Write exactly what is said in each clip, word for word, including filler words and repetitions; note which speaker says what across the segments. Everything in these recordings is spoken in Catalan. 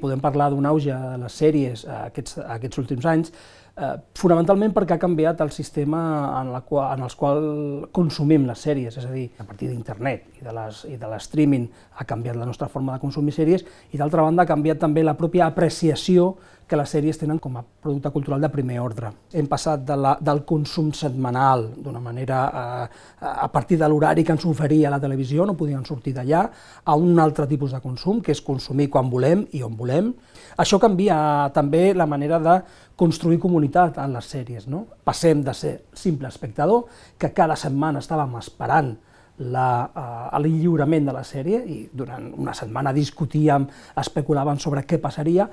Speaker 1: Podem parlar d'un auge de les sèries aquests, aquests últims anys, eh, fonamentalment perquè ha canviat el sistema en, la qual, en el qual consumim les sèries, és a dir, a partir d'internet i de les, i de l'streaming ha canviat la nostra forma de consumir sèries i d'altra banda ha canviat també la pròpia apreciació que les sèries tenen com a producte cultural de primer ordre. Hem passat de la, del consum setmanal, d'una manera eh, a partir de l'horari que ens oferia la televisió, no podien sortir d'allà, a un altre tipus de consum, que és consumir quan volem i on volem. Això canvia també la manera de construir comunitat en les sèries, no? Passem de ser simple espectador, que cada setmana estàvem esperant l'enllurament de la sèrie i durant una setmana discutíem, especulàvem sobre què passaria,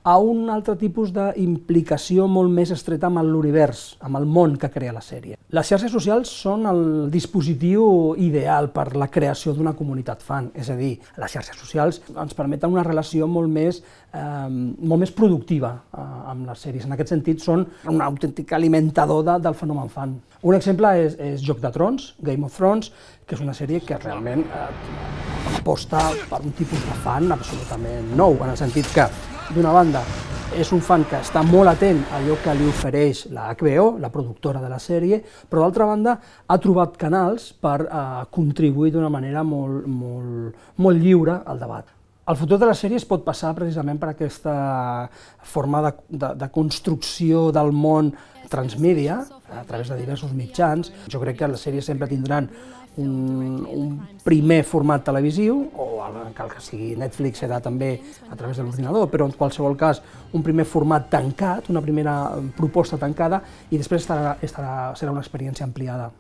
Speaker 1: a un altre tipus d'implicació molt més estreta amb l'univers, amb el món que crea la sèrie. Les xarxes socials són el dispositiu ideal per la creació d'una comunitat fan, és a dir, les xarxes socials ens permeten una relació molt més, eh, molt més productiva eh, amb les sèries. En aquest sentit, són un autèntic alimentador de, del fenomen fan. Un exemple és, és Joc de Trons, Game of Thrones, que és una sèrie que realment eh, aposta per un tipus de fan absolutament nou, en el sentit que d'una banda, és un fan que està molt atent a allò que li ofereix la H B O, la productora de la sèrie, però d'altra banda ha trobat canals per eh, contribuir d'una manera molt, molt, molt lliure al debat. El futur de les sèries pot passar precisament per aquesta forma de, de, de construcció del món transmèdia, a través de diversos mitjans. Jo crec que les sèries sempre tindran un, un primer format televisiu, o el que sigui Netflix serà també a través de l'ordinador, però en qualsevol cas un primer format tancat, una primera proposta tancada, i després estarà, estarà, serà una experiència ampliada.